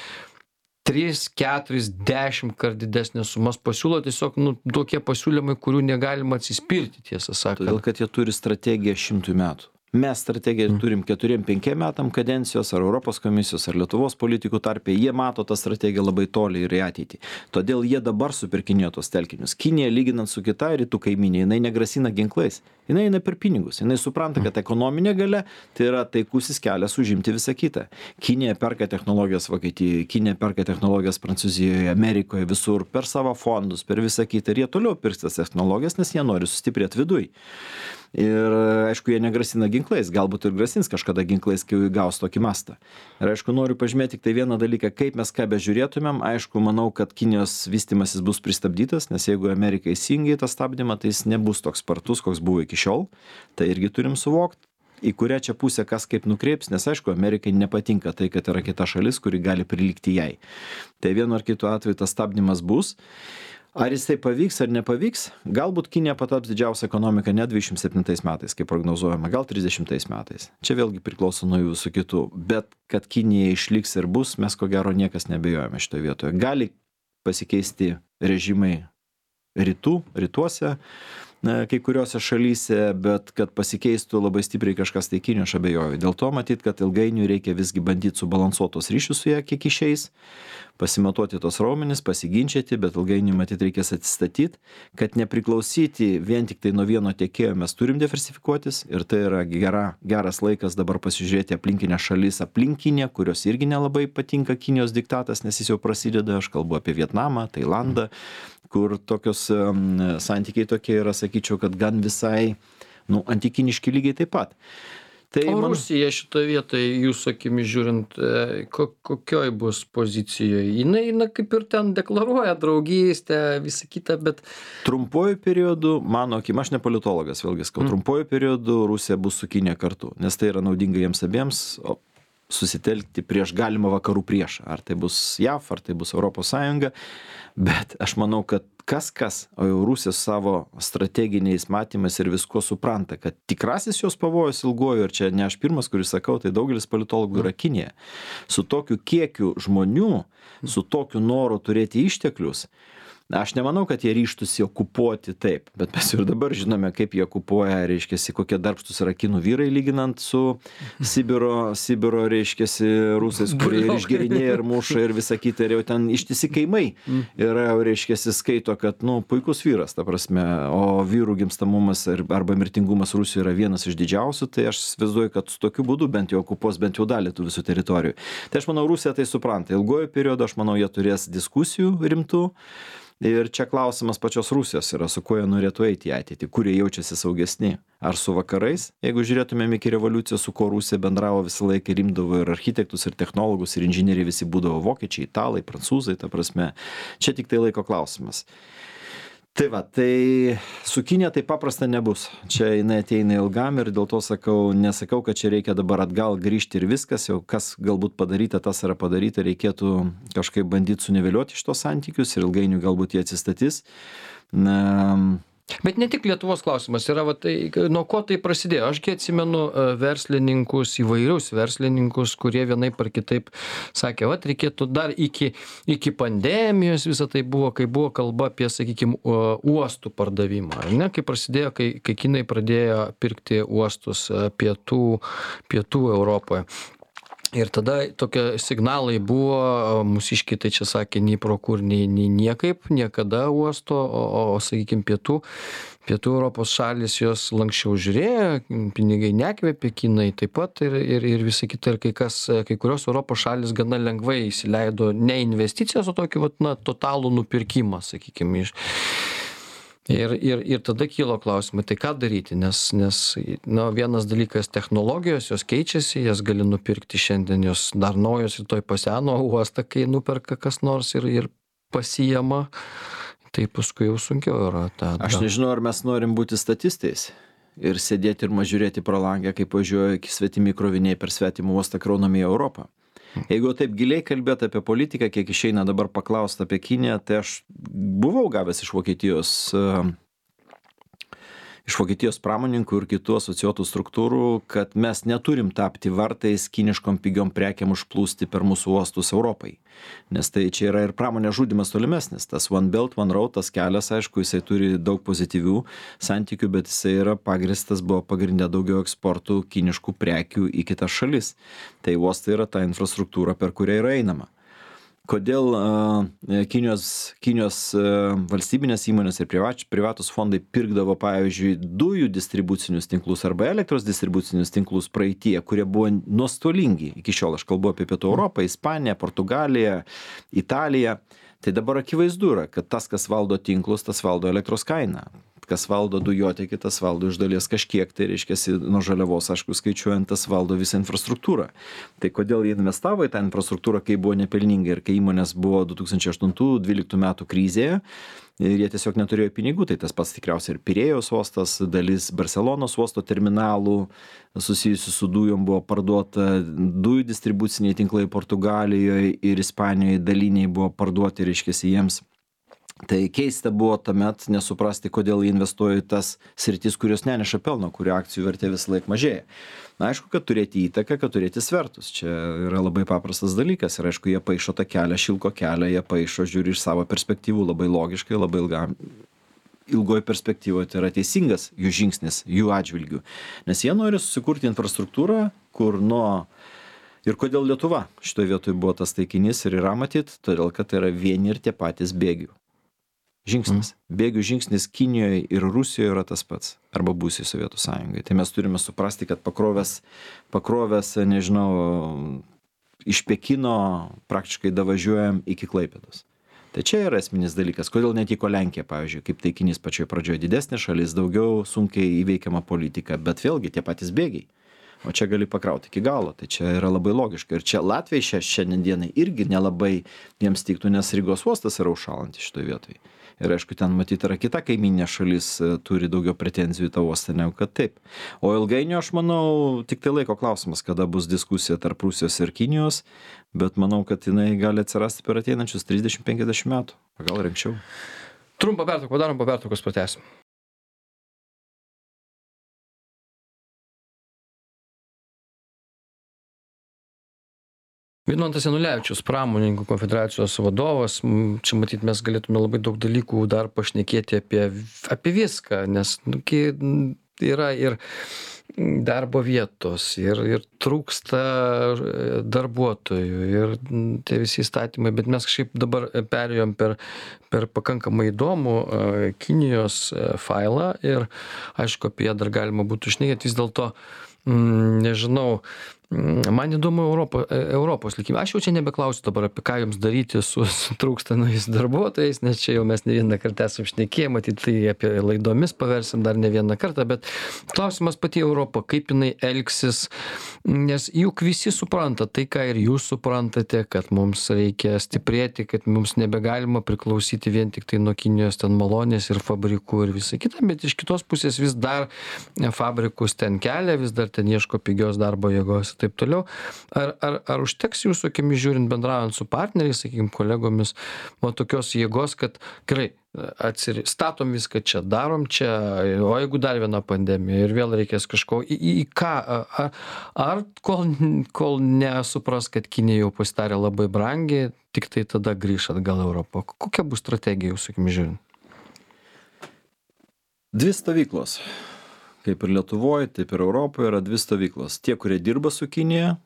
A: tris, keturis, dešimt kart didesnės sumas pasiūlo, tiesiog nu, tokie pasiūlymai, kurių negalima atsispirti, tiesą sakant.
B: Todėl, kad jie turi strategiją šimtui metų. Mes strategiją turim keturiem penkiem metam kadencijos, ar Europos komisijos, ar Lietuvos politikų tarpe, jie mato tą strategiją labai toli ir į ateitį. Todėl jie dabar supirkinėjo tos telkinius. Kinija, lyginant su kita rytų kaiminė, jinai negrasina ginklais, jinai eina per pinigus, jinai supranta, kad ekonominė galia tai yra taikusis kelias užimti visą kitą. Kinija perka technologijas Vokietijoje, Kinija perka technologijas Prancūzijoje, Amerikoje, visur, per savo fondus, per visą kitą, ir jie toliau pirks tas technologijas, nes jie nori sustiprėti viduj. Ir aišku, jie negrasina ginklais, galbūt ir grasins kažkada ginklais, kai gaus tokį mastą. Ir aišku, noriu pažymėti tik tai vieną dalyką, kaip mes ką bežiūrėtumėm, aišku, manau, kad Kinijos vystimasis bus pristabdytas, nes jeigu Amerika įsijungia į tą stabdymą, tai jis nebus toks spartus, koks buvo iki šiol. Tai irgi turim suvokti, į kurią čia pusę kas kaip nukreips, nes aišku, Amerikai nepatinka tai, kad yra kita šalis, kuri gali prilygti jai. Tai vienu ar kitu atveju tas stabdymas bus. Ar jisai pavyks ar nepavyks, galbūt Kinija pataps didžiausia ekonomika ne dvidešimt septintais metais, kaip prognozuojama, gal trisdešimtais metais. Čia vėlgi priklauso nuo jų visų kitų, bet kad Kinija išliks ir bus, mes ko gero niekas nebejojame šitoje vietoje. Gali pasikeisti režimai rytų, rytuose, kai kuriuose šalyse, bet kad pasikeistų labai stipriai kažkas tai Kinijos, aš abejoju. Dėl to matyt, kad ilgainiui reikia visgi bandyti subalansuotos ryšius su ją, kiek išeis, pasimatuoti tos raumenis, pasiginčyti, bet ilgainiui matyt reikės atsistatyti, kad nepriklausyti vien tik tai nuo vieno tiekėjo, mes turim diversifikuotis ir tai yra gera, geras laikas dabar pasižiūrėti aplinkinę šalis, aplinkinę, kurios irgi nelabai patinka Kinijos diktatas, nes jis jau prasideda, aš kalbu apie Vietnamą, Tailandą, kur tokios um, santykiai tokie yra, sakyčiau, kad gan visai, nu, antikiniški lygiai taip pat. Tai
A: o
B: man...
A: Rusija šitoje vietoje, jūsų akimis žiūrint, ko, kokioj bus pozicijoje? Jinai, na, kaip ir ten deklaruoja draugystę, visą kitą, bet...
B: Trumpuoju periodu, mano akim, aš ne politologas, vėlgi skau, mm. trumpuoju periodu Rusija bus su Kinija kartu, nes tai yra naudinga jiems abiems, o susitelkti prieš galimą vakarų priešą. Ar tai bus J A V, ar tai bus Europos Sąjunga, bet aš manau, kad kas kas, o jau Rusija savo strateginiais matymais ir visko supranta, kad tikrasis jos pavojus ilguoju, ir čia ne aš pirmas, kuris sakau, tai daugelis politologų yra Kinija. Su tokiu kiekiu žmonių, su tokiu noru turėti išteklius, Aš nemanau, kad jie ryštųsi okupuoti taip, bet mes ir dabar žinome, kaip jie okupuoja, reiškiasi, kokie darbštus yra kinų vyrai, lyginant su Sibiro, Sibiro reiškiasi, rusais, kurie ir išgerinėja, ir muša, ir visa kita, ir jau ten ištisi kaimai. Ir reiškiasi skaito, kad, nu, puikus vyras, ta prasme, o vyrų gimstamumas arba mirtingumas Rusijoje yra vienas iš didžiausių, tai aš įsivaizduoju, kad su tokiu būdu bent jau okupuos bent jau dalį tų visų teritorijų. Tai aš manau, Rusija tai supranta. Ilgojo periodo, aš manau, jie turės diskusijų rimtų. Ir čia klausimas pačios Rusijos yra, su kuo jie norėtų eiti į ateitį, kurie jaučiasi saugesni. Ar su vakarais, jeigu žiūrėtumėm iki revoliucijos, su kuo Rusija bendravo visą laiką, rimdavo ir architektus, ir technologus, ir inžinieriai visi būdavo vokiečiai, italai, prancūzai, ta prasme, čia tik tai laiko klausimas. Tai va, tai su Kinija tai paprasta nebus. Čia jinai ateina ilgam ir dėl to sakau, nesakau, kad čia reikia dabar atgal grįžti ir viskas, jau kas galbūt padaryta, tas yra padaryta, reikėtų kažkaip bandyti suniveliuoti šitos santykius ir ilgainiui galbūt jie atsistatys. Na,
A: Bet ne tik Lietuvos klausimas yra, va, tai, nuo ko tai prasidėjo. Ašgi atsimenu verslininkus, įvairius verslininkus, kurie vienaip ar kitaip sakė, va, reikėtų dar iki, iki pandemijos visą tai buvo, kai buvo kalba apie, sakykime, uostų pardavimą. Ne, kai prasidėjo, kai, kai kinai pradėjo pirkti uostus pietų, pietų Europoje. Ir tada tokie signalai buvo, mūsiškiai tai čia sakė, nei pro kur, nei, nei niekaip, niekada uosto, o, o sakykime, pietų, pietų Europos šalis jos lankščiau žiūrėjo, pinigai nekvėpė, kinai taip pat ir, ir, ir visa kita, ir kai, kas, kai kurios Europos šalis gana lengvai įsileido ne investicijas, o tokį, vat, na, totalų nupirkimą, sakykime, iš. Ir, ir, ir tada kilo klausimai, tai ką daryti, nes, nes na, vienas dalykas technologijos, jos keičiasi, jas gali nupirkti šiandien, jos dar naujos ir toj paseno uostą, kai nuperka kas nors ir, ir pasijama, tai paskui jau sunkiau yra. Ta, ta.
B: Aš nežinau, ar mes norim būti statistais ir sėdėti ir mažiūrėti pro langę, kaip važiuoja svetimi kroviniai per svetimą uostą kraunami į Europą. Jeigu taip giliai kalbėti apie politiką, kiek išeina dabar paklausti apie Kiniją, tai aš buvau gavęs iš Vokietijos, iš Vokietijos pramoninkų ir kitų asociuotų struktūrų, kad mes neturim tapti vartais kiniškom pigiom prekiam užplūsti per mūsų uostus Europai. Nes tai čia yra ir pramonės žudymas tolimesnis. Tas One Belt, One Road, tas kelias, aišku, jisai turi daug pozityvių santykių, bet jisai yra pagristas, buvo pagrindė daugiau eksportų kiniškų prekių į kitas šalis. Tai uostai yra ta infrastruktūra, per kurią yra einama. Kodėl uh, Kinijos, Kinijos uh, valstybinės įmonės ir privač, privatus fondai pirkdavo, pavyzdžiui, dujų distribucinius tinklus arba elektros distribucinius tinklus praeitie, kurie buvo nuostolingi. Iki šiol aš kalbu apie Pietų Europą, Ispaniją, Portugaliją, Italiją. Tai dabar akivaizdu yra, kad tas, kas valdo tinklus, tas valdo elektros kainą. Kas valdo dujotiekį, tas valdo iš dalies kažkiek, tai reiškiasi nuo žaliavos, aišku, skaičiuojant, tas valdo visą infrastruktūrą. Tai kodėl jie investavo į tą infrastruktūrą, kai buvo nepelninga ir kai įmonės buvo du tūkstančiai aštuntų dvyliktų metų krizėje ir jie tiesiog neturėjo pinigų, tai tas pats tikriausiai ir Pirėjos uostas, dalis Barcelonos uosto terminalų susijusių su dujom buvo parduota, dujų distribuciniai tinklai Portugalijoje ir Ispanijoje daliniai buvo parduoti, reiškiasi jiems. Tai keista buvo tuomet nesuprasti, kodėl jie investuoja į tas sritis, kurios neneša pelno, kurio akcijų vertė visą laiką mažėja. Na, aišku, kad turėti įtaką, kad turėti svertus. Čia yra labai paprastas dalykas. Ir aišku, jie paišo tą kelią, šilko kelią, jie paišo, žiūri iš savo perspektyvų labai logiškai, labai ilgam. Ilgoje perspektyvoje tai yra teisingas jų žingsnis, jų atžvilgių. Nes jie nori susikurti infrastruktūrą, kur nuo... Ir kodėl Lietuva šitoje vietoje buvo tas taikinys ir yra matyt, todėl kad tai yra vieni ir tie patys bėgių. Žingsnis. Bėgių žingsnis Kinijoje ir Rusijoje yra tas pats. Arba būsiai Sovietų sąjungai. Tai mes turime suprasti, kad pakrovęs, pakrovęs, nežinau, iš Pekino praktiškai davažiuojam iki Klaipėdos. Tai čia yra esminis dalykas. Kodėl netiko Lenkija, pavyzdžiui, kaip taikinys pačioje pradžioje didesnė šalis, daugiau sunkiai įveikiama politika, bet vėlgi tie patys bėgiai. O čia gali pakrauti iki galo, tai čia yra labai logiška. Ir čia Latvijai šia, šiandien dienai irgi nelabai jiems tiktų, nes Rygos uostas yra užšalantis šitoje vietoje. Ir aišku, ten matyti yra kita kaiminė šalis, turi daugiau pretenzijų į tą uostą, negu kad taip. O ilgainiui, aš manau, tik tai laiko klausimas, kada bus diskusija tarp Rusijos ir Kinijos, bet manau, kad jinai gali atsirasti per ateinančius trisdešimt penkiasdešimt metų, gal ir anksčiau.
A: Trumpą pertrauką, darom po pertraukos pratęsim. Vidmantas Janulevičius, pramonininkų konfederacijos vadovas. Čia matyt, mes galėtume labai daug dalykų dar pašnekėti apie, apie viską, nes nu, yra ir darbo vietos, ir, ir trūksta darbuotojų, ir tie visi įstatymai, bet mes kažkaip dabar perėjom per, per pakankamai įdomų Kinijos failą ir aišku, apie ją dar galima būtų šnekėti, vis dėlto, nežinau, man įdomu Europo, Europos likimą. Aš jau čia nebeklausiu dabar, apie ką jums daryti su, su trūkstamais darbuotojais, nes čia jau mes ne vieną kartą esam šnekėję, matyt, tai apie laidomis paversim dar ne vieną kartą, bet klausimas pati Europa, kaip jinai elgsis, nes juk visi supranta tai, ką ir jūs suprantate, kad mums reikia stiprėti, kad mums nebegalima priklausyti vien tik tai nuo Kinijos ten malonės ir fabrikų ir visą kitą, bet iš kitos pusės vis dar fabrikus ten kelia, vis dar ten ieško pigios darbo jėgos. Taip toliau. Ar, ar, ar užteks jūsų akimis žiūrint, bendraujant su partneriais, sakykime, kolegomis, o tokios jėgos, kad gerai, atsiri, statom viską čia, darom čia, o jeigu dar viena pandemija ir vėl reikės kažko, į, į ką, ar, ar kol, kol nesupras, kad Kinija jau pasidarė labai brangiai, tik tai tada grįš atgal Europą. Kokia bus strategija jūsų akimis žiūrint?
B: Dvi stovyklos. Kaip ir Lietuvoje, taip ir Europoje yra dvi stovyklos. Tie, kurie dirba su Kinija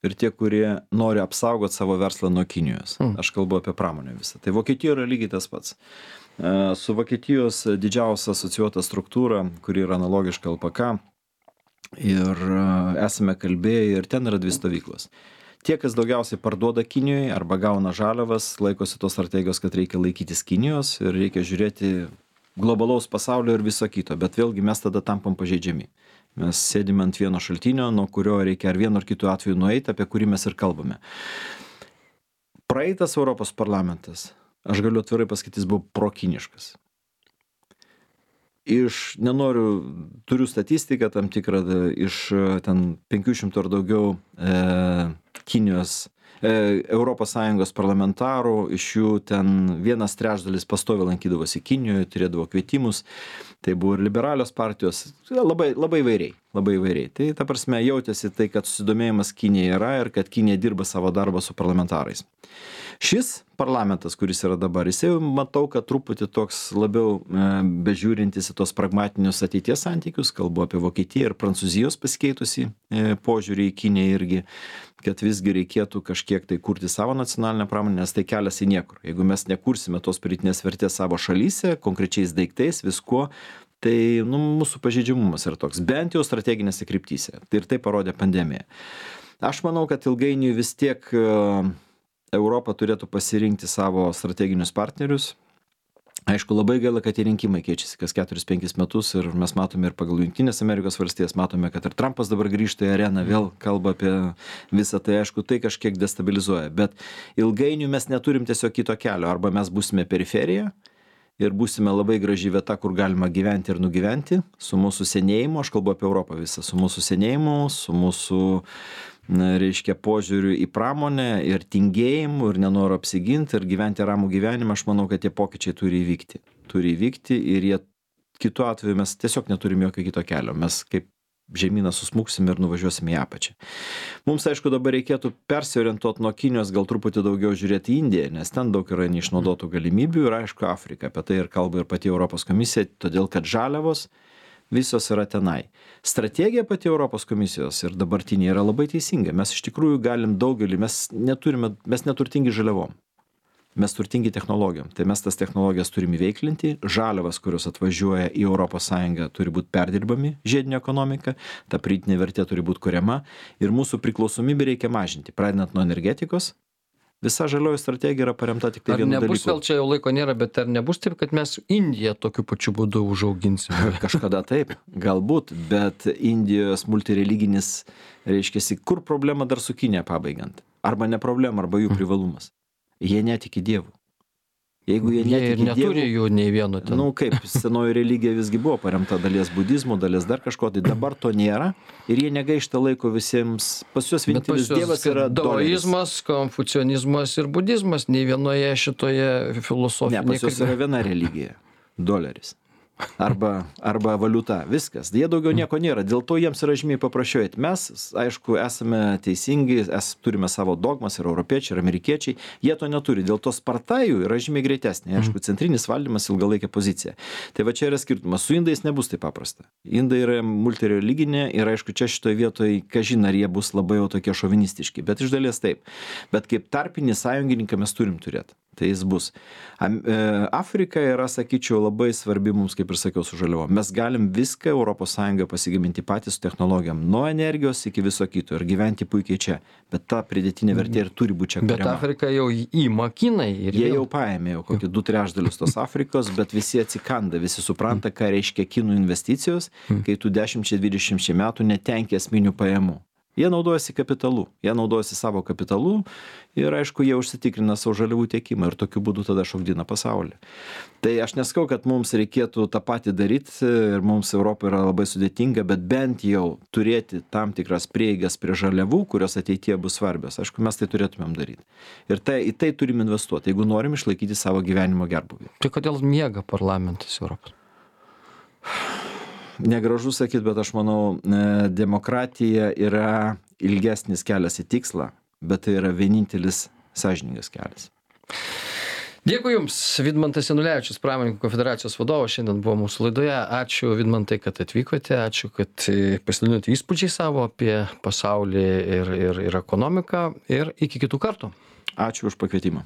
B: ir tie, kurie nori apsaugoti savo verslą nuo Kinijos. Mm. Aš kalbu apie pramonę visą. Tai Vokietijoje yra lygiai tas pats. Su Vokietijos didžiausia asocijuota struktūra, kuri yra analogiška L P K, ir esame kalbėję ir ten yra dvi stovyklos. Tie, kas daugiausiai parduoda Kinijoje arba gauna žaliavas, laikosi tos strategijos, kad reikia laikytis Kinijos ir reikia žiūrėti globalaus pasaulio ir viso kito, bet vėlgi mes tada tampam pažeidžiami. Mes sėdime ant vieno šaltinio, nuo kurio reikia ar vienu ar kitu atveju nueiti, apie kurį mes ir kalbame. Praeitas Europos parlamentas, aš galiu atvirai pasakyti, jis buvo prokiniškas. Iš, nenoriu, turiu statistiką tam tikrą, iš ten penkių šimtų ar daugiau e, Kinijos Europos Sąjungos parlamentarų, iš jų ten vienas trečdalis pastoviai lankydavosi Kinijoje, turėdavo kvietimus, tai buvo ir liberalios partijos, labai, labai vairiai, labai vairiai. Tai ta prasme jautėsi tai, kad susidomėjimas Kinija yra ir kad Kinija dirba savo darbą su parlamentarais. Šis parlamentas, kuris yra dabar, jis jau matau, kad truputį toks labiau e, bežiūrintis į tos pragmatinius ateities santykius, kalbu apie Vokietiją ir Prancūzijos pasikeitusi e, požiūrį į Kiniją irgi, kad visgi reikėtų kažkiek tai kurti savo nacionalinę pramonę, nes tai kelias į niekur. Jeigu mes nekursime tos pridėtinės vertės savo šalyse, konkrečiais daiktais, viskuo, tai nu, mūsų pažeidžiamumas yra toks, bent jau strateginėse kryptyse. Tai ir tai parodė pandemija. Aš manau, kad ilgainiui vis tiek e, Europa turėtų pasirinkti savo strateginius partnerius. Aišku, labai gaila, kad tie rinkimai keičiasi kas keturis penkis metus ir mes matome ir pagal Jungtinės Amerikos valstijas, matome, kad ir Trumpas dabar grįžta į areną, vėl kalba apie visą tai, aišku, tai kažkiek destabilizuoja, bet ilgainiui mes neturim tiesiog kito kelio, arba mes būsime periferija ir būsime labai graži vieta, kur galima gyventi ir nugyventi, su mūsų senėjimu, aš kalbu apie Europą visą, su mūsų senėjimu, su mūsų na, reiškia požiūriu į pramonę ir tingėjimu ir nenoro apsiginti ir gyventi ramų gyvenimą, aš manau, kad tie pokyčiai turi įvykti. Turi įvykti ir jie kitu atveju mes tiesiog neturim jokio kito kelio. Mes kaip žemyną susmuksim ir nuvažiuosim į apačią. Mums, aišku, dabar reikėtų persiorientuoti nuo Kinijos, gal truputį daugiau žiūrėti į Indiją, nes ten daug yra neišnaudotų galimybių ir, aišku, Afrika. Apie tai ir kalba ir pati Europos komisija, todėl kad žaliavos visos yra tenai. Strategija pati Europos komisijos ir dabartinė yra labai teisinga. Mes iš tikrųjų galim daugelį, mes neturime, mes neturtingi žaliavom. Mes turtingi technologijom. Tai mes tas technologijas turime įveiklinti. Žaliavas, kurios atvažiuoja į Europos Sąjungą, turi būti perdirbami, žiedinė ekonomika, ta pridėtinė vertė turi būti kuriama ir mūsų priklausomybę reikia mažinti, pradedant nuo energetikos. Visa žalioji strategija yra paremta tik tai vienu dalyku.
A: Ar nebus, vėl čia jau laiko nėra, bet ar nebus taip, kad mes Indiją tokiu pačiu būdu užauginsime?
B: Kažkada taip, galbūt, bet Indijos multireliginis, reiškiasi, kur problema dar su Kinija pabaigiant? Arba ne problema, arba jų privalumas. Jie netiki dievų. Jeigu jie netiki
A: Jie neturi dievų, jų nei vieno ten.
B: Nu kaip, senoji religija visgi buvo paremta dalies budizmo, dalies dar kažko, tai dabar to nėra ir jie negaišta laiko visiems, pas juos vienintelis dievas yra doleris.
A: Daoizmas, konfucionizmas ir budizmas, nei vienoje šitoje filosofinėje.
B: Ne, pas juos yra viena religija, doleris. arba, arba valiuta. Viskas. Jie daugiau nieko nėra. Dėl to jiems yra žymiai paprasčiau. Mes, aišku, esame teisingi, es, turime savo dogmas, ir europiečiai, ir amerikiečiai. Jie to neturi. Dėl to sparta jų yra žymiai greitesnė. Aišku, centrinis valdymas, ilgalaikė pozicija. Tai va čia yra skirtumas. Su indais nebus taip paprasta. Indai yra multireliginė ir aišku, čia šitoje vietoje, kažin ar jie bus labai jau tokie šovinistiški. Bet iš dalies taip. Bet kaip tarpinį sąjungininką mes turim turėti. Tai jis bus. Afrika yra, sakyčiau, labai svarbi mums, kaip ir sakiau, su žaliavom. Mes galim viską Europos Sąjungoje pasigaminti patys su technologijom, nuo energijos iki viso kito ir gyventi puikiai čia. Bet ta pridėtinė vertė ir turi būti čia kuriama.
A: Bet Afrika jau įima Kinai. Ir
B: Jie jau paėmė jau kokį du trečdalius tos Afrikos, bet visi atsikanda, visi supranta, ką reiškia kinų investicijos, kai tu dešimčiai dvidešimčiai metų netenki esminių pajamų. Jie naudojasi kapitalu, jie naudojasi savo kapitalu ir aišku, jie užsitikrina savo žaliavų tiekimą ir tokiu būdu tada šokdina pasaulį. Tai aš neskau, kad mums reikėtų tą patį daryti ir mums Europoje yra labai sudėtinga, bet bent jau turėti tam tikras prieigas prie žaliavų, kurios ateityje bus svarbios. Aišku, mes tai turėtumėm daryti. Ir tai, į tai turim investuoti, jeigu norim išlaikyti savo gyvenimo gerbūvį.
A: Tai kodėl miega parlamentas Europos?
B: Negražu sakyti, bet aš manau, demokratija yra ilgesnis kelias į tikslą, bet tai yra vienintelis sąžiningas kelias.
A: Dėkui Jums, Vidmantas Janulevičius, Pramonininkų konfederacijos vadovas, šiandien buvo mūsų laidoje. Ačiū, Vidmantai, kad atvykote, ačiū, kad pasidalinote įspūdžiai savo apie pasaulį ir, ir, ir ekonomiką ir iki kitų kartų.
B: Ačiū už pakvietimą.